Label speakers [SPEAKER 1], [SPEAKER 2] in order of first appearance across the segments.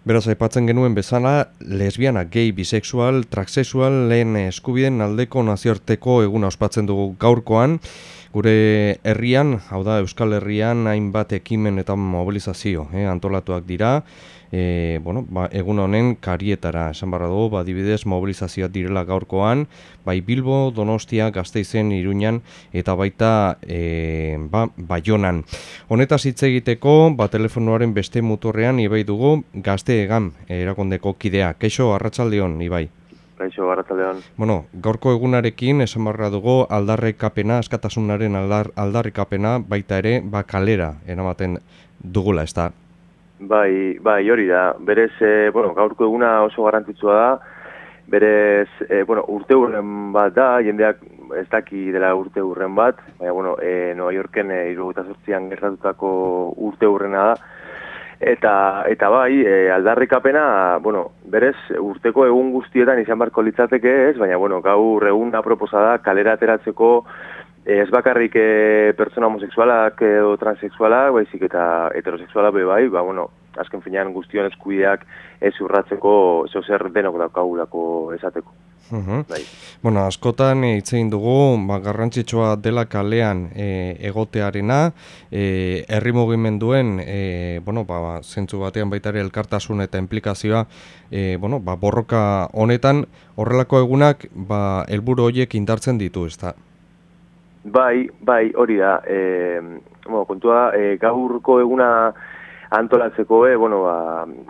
[SPEAKER 1] Beraz, aipatzen genuen bezala, lesbiana, gay, bisexual, transexual, lehen eskubideen aldeko nazioarteko eguna ospatzen dugu gaurkoan. Gure herrian, hau da Euskal Herrian, hainbat ekimen eta mobilizazio antolatuak dira. Egun honen karietara, esan barra dugu, adibidez mobilizazioak direla gaurkoan, bai Bilbo, Donostia, Gasteizen, Iruñan eta baita Baionan. Honetaz hitz egiteko, telefonoaren beste muturrean Ibai dugu Gazte Egan erakundeko kidea. Kaixo, arratsaldeon, Ibai.
[SPEAKER 2] Kaixo, arratsaldeon.
[SPEAKER 1] Gaurko egunarekin esan barra dugu aldarrikapena, askatasunaren aldarrikapena baita ere kalera eramaten dugula, ezta?
[SPEAKER 2] Bai, hori da. Berez, gaurko eguna oso garrantzitsua da. Berez, urte hurren bat da, jendeak ez daki dela urte hurren bat, baina, Nova Yorken 78an gertatutako urte hurrena da. Eta bai, aldarrikapena, berez, urteko egun guztietan izan barko litzateke ez, baina, gaur egun aproposa da kalera ateratzeko ez bakarrik pertsona homosexualak edo transexualak, baizik eta heterosexualak bai, azken finean guztion eskubideak ez urratzeko zer denok daukagulako esateko. Bai.
[SPEAKER 1] Askotan hitz egin dugu, garrantzitsua dela kalean egotearena, herri mugimenduen, zentzu batean baita ere elkartasun eta implikazioa, borroka honetan horrelako egunak, helburu horiek indartzen ditu, ezta?
[SPEAKER 2] Bai, hori da. Kontua, gaurko eguna antolatzeko,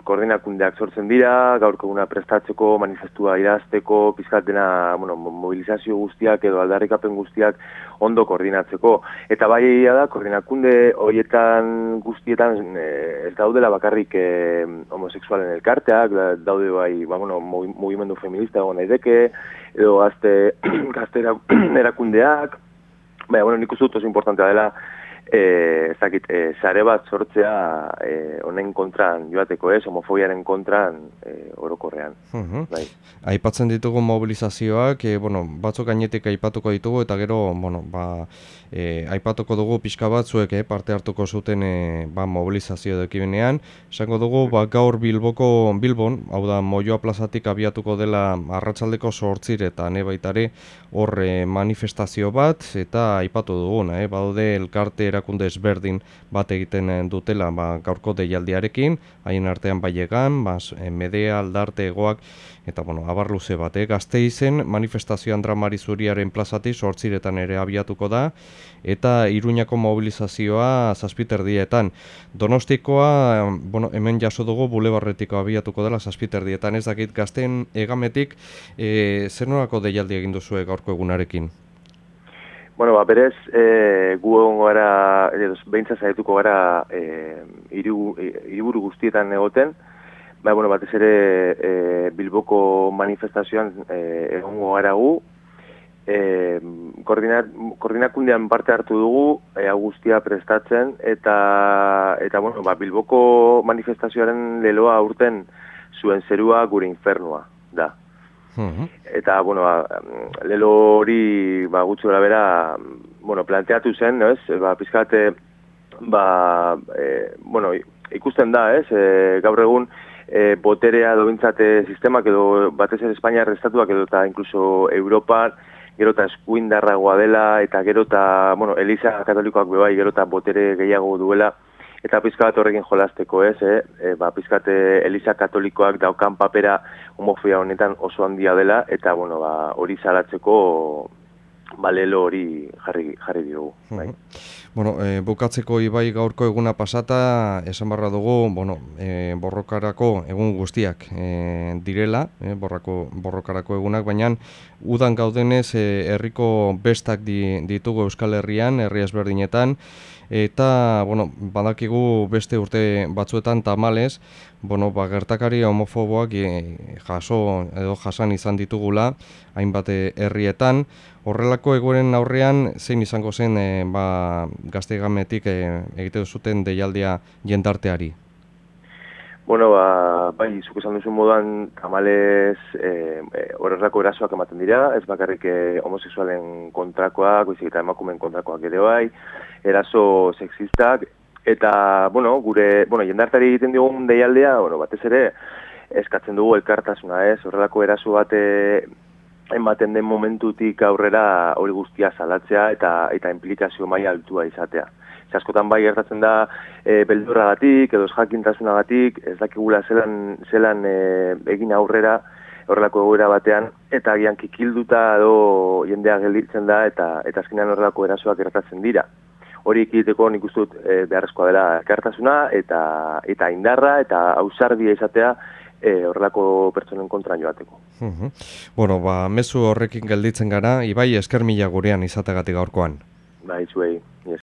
[SPEAKER 2] koordinakundeak sortzen dira, gaurko eguna prestatzeko, manifestua idazteko, pizkat dena, mobilizazio guztiak edo aldarrikapen guztiak ondo koordinatzeko. Eta bai da, koordinakunde horietan guztietan ez daudela bakarrik homosexualen elkarteak, daude bai, mugimendu feminista egon daiteke, edo gazte erakundeak. Nik uste dut oso importantea dela, sare bat sortzea honen kontran joateko homofobiaren kontran orokorrean. Bai.
[SPEAKER 1] Aipatzen ditugu mobilizazioak, batzuk gainetik aipatuko ditugu, eta gero, aipatuko dugu pixka batzuek parte hartuko zuten mobilizazio ekimenean. Esango dugu, gaur Bilbon, hau da, Moioa plazatik abiatuko dela arratsaldeko 8:00 baitare hor manifestazio bat, eta aipatu duguna, badaude elkarte erakunde ezberdin bat egiten dutela gaurko deialdiarekin, haien artean Baiegan, Medea, Aldarte, Egoak, eta abar luze bat, Gasteizen manifestazioan Dramari Zuriaren plazatik 8:00 ere abiatuko da, eta Iruñako mobilizazioa 7:30. Donostikoa, hemen jaso dugu bulebarretiko abiatuko dela 7:30. Ez dakit, Gazteen Egametik zer nolako deialdi egin duzue gaurko egunarekin?
[SPEAKER 2] Berez, gu egongo gara, behintzat zaituko gara hiriburu guztietan egoten, batez ere Bilboko manifestazioan egongo gara gu, koordinakundean parte hartu dugu, guztia prestatzen, eta Bilboko manifestazioaren leloa aurten zuen zerua gure infernua da. Eta, lelo hori gutxi gara bera, planteatu zen, pizkate, ikusten da, gaur egun, boterea dobintzate sistemak edo batez ere Espainiar estatuak edo eta inkluso Europan, gero eta eskuindarragoa dela, eta gero eta, Eliza Katolikoak bebai, gero eta botere gehiago duela, eta pizkat horrekin jolasteko, pizkat Eliza Katolikoak daukan papera homofobia honetan oso handia dela, eta hori salatzeko lelo hori jarri diogu.
[SPEAKER 1] Bukatzeko Ibai gaurko eguna pasata, esan barra dugu, borrokarako egun guztiak direla, borrokarako egunak, baina udan gaudenez herriko bestak ditugu Euskal Herrian, herri ezberdinetan, eta, badakigu beste urte batzuetan tamalez, gertakari homofoboak jasan izan ditugula, hainbat herrietan. Horrelako egoeren aurrean, zein izango zen Gazte Egametik egite zuten deialdia jendarteari?
[SPEAKER 2] Bai, zuk esan duzun moduan, tamalez horrelako erasoak ematen dira, ez bakarrik homosexualen kontrakoak, baizik eta emakumeen kontrakoak ere bai, eraso sexistak, Eta, jendartari egiten diogun deialdea, batez ere, eskatzen dugu elkartasuna, horrelako eraso bat ematen den momentutik aurrera hori guztia salatzea eta implikazio maila altua izatea. Askotan bai gertatzen da beldurragatik edo jakintasunagatik, ez dakigula zelan egin aurrera horrelako egoera batean, eta agian kikilduta edo jendea gelditzen da eta azkenean horrelako erasoak gertatzen dira. Hori ekiditeko nik uste dut beharrezkoa dela elkartasuna eta indarra eta ausardia izatea horrelako pertsonen kontra joateko.
[SPEAKER 1] Bueno, mezu horrekin gelditzen gara, Ibai, esker mila gurean izategatik gaurkoan.
[SPEAKER 2] Bai, zuei.